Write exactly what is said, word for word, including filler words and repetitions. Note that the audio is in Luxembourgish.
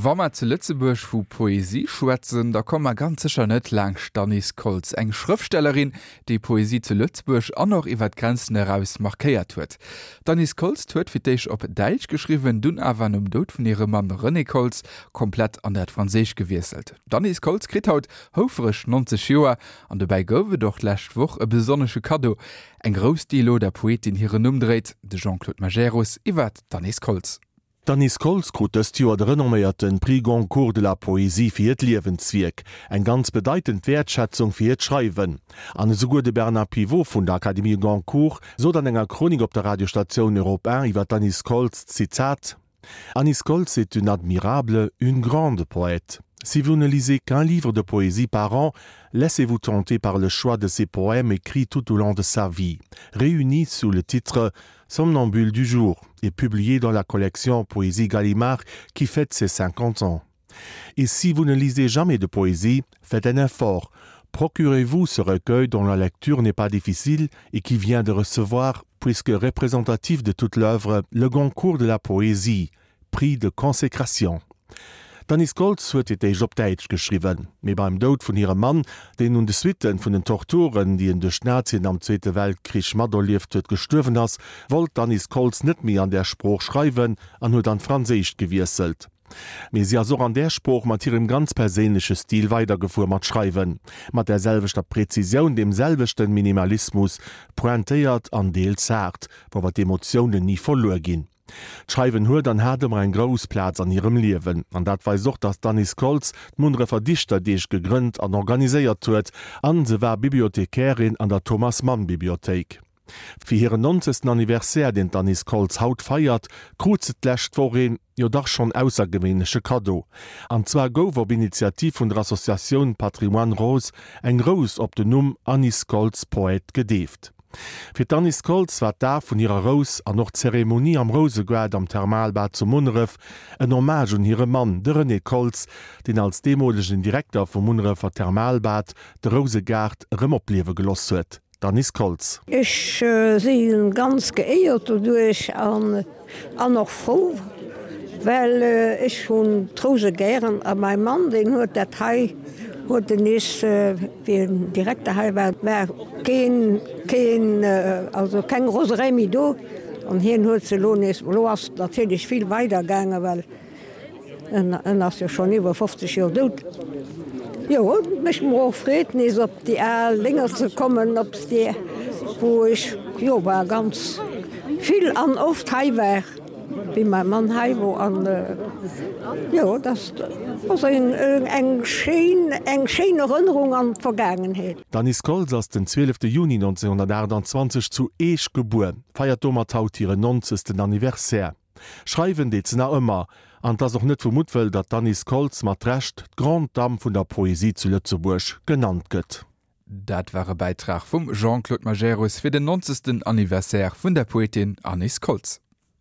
Wa mer zu Lëtzebuerg vu Poesie schwätzen, da komme mer ganz sécher net laanscht d'Anise Koltz, eng Schrëftstellerin, déi Poesie zu Lëtzebuerg an och iwwer d'Grenzen eraus markéiert huet. D'Anise Koltz huet fir d'éischt op Däitsch geschriwwen, dunn awer nom Doud vun hirem Mann René Koltz komplett an dat Franséischt gewiesselt. D'Anise Koltz kritt haut houfreg neunzeg Joer an dobäi gouf et och d'lescht Woch e besonnesche Kaddo, eng Rous, déi elo der Poetin hiren Numm dréit. De Jean-Claude Majerus iwwer d'Anise Koltz. D'Anise Koltz krut dëst Joer de renomméierte Prix Goncourt de la Poésie fir hiert Liewenswierk, eng ganz bedeitend Wäertschätzung fir hiert Schreiwen. An esouguer de Bernard Pivot vun der Académie Goncourt sot an enger Chronik op der Radiostatioun Europe eent iwwer d'Anise Koltz, Zitat: Anise Koltz est une admirable, une grande poète. Si vous ne lisez qu'un livre de poésie par an, laissez-vous tenter par le choix de ses poèmes écrits tout au long de sa vie, réunis sous le titre Somnambule du jour et publié dans la collection Poésie Gallimard qui fête ses cinquante ans. Et si vous ne lisez jamais de poésie, faites un effort. Procurez-vous ce recueil dont la lecture n'est pas difficile et qui vient de recevoir, puisque représentatif de toute l'œuvre, le Goncourt de la poésie, prix de consécration. D'Anise Koltz huet fir d'éischt op Däitsch geschriwwen, mee beim Doud vun hirem Mann, deen un de Suitten vun den Torturen, déi en duerch d'Nazien am Zweete Weltkrich materlieft huet, gestuerwen ass, wollt d'Anise Koltz net méi an där Sprooch schreiwen an huet an d'Franséischt gewiesselt. Mee si ass och an där Sprooch mat hirem ganz perséinleche Stil weidergefuer mat schreiwen, mat där selwechter Präzisioun, deem selwechte Minimalismus, pointéiert an deels haart, wou awer d'Emotiounen ni verluer ginn. D'Schreiwen huet an hat ëmmer eng grouss Plaz an hirem Liewen. An dat weist och, datt d'Anise Koltz d'Munnerefer Dichterdeeg gegrënnt an organiséiert huet, an se war Bibliothekärin an der Thomas Mann Bibliothéik. Fir hiren nonzegsten Anniversaire, deen d'Anise Koltz haut feiert, krut se d'lescht Woch een, jo dach schonn aussergewéinleche Kaddo. An zwar gouf op Initiativ vun der Associatioun Patrimoine Rose eng Rous op den Numm Anise Koltz Poète gedeeft. Fir d'Anise Koltz war d'Daf vun hirer Rous an och d'Zeremonie am Rousegaart am Thermalbad zu Munneref en Hommage un hire Mann, de René Koltz, deen als deemolegen Direkter vum Munnerefer Thermalbad de Rousegaart erëm opliewe geloss huet. D'Anise Koltz. Ech si ganz geéiert doduerch an an och frou, well ech hunn d'Rouse gären a mäi Mann, deen huet dat hei, huet en nees, wéi en Direkter hei war, war keen, keen, also keng Roserei méi do an hien huet se elo nees, elo ass et natierlech vill weider gaangen, well en, en ass jo schonn iwwer fofzeg Joer dout. Jo, et mécht mer och Freed, nees op déi al Lénger ze kommen, op déi, wou ech, jo, war ganz vill an oft hei war, wéi mäi Mann hei wor. An jo, dat ass eng, eng schéin, eng schéin Erënnerung an d'Vergaangenheet. D'Anise Koltz ass den zwielefte Juni nonzénhunnertaachtanzwanzeg zu Eech gebuer, feiert domat haut hiren nonzegsten Anniversaire. Schreiwen deet se nach ëmmer, an 't ass och net vu Muttwëll, datt d'Anise Koltz mat Recht d'Grande Dame vun der Poesie zu Lëtzebuerg genannt gëtt. Dat war e Bäitrag vum Jean-Claude Majerus fir den nonzegsten Anniversaire vun der Poetin Anise Koltz.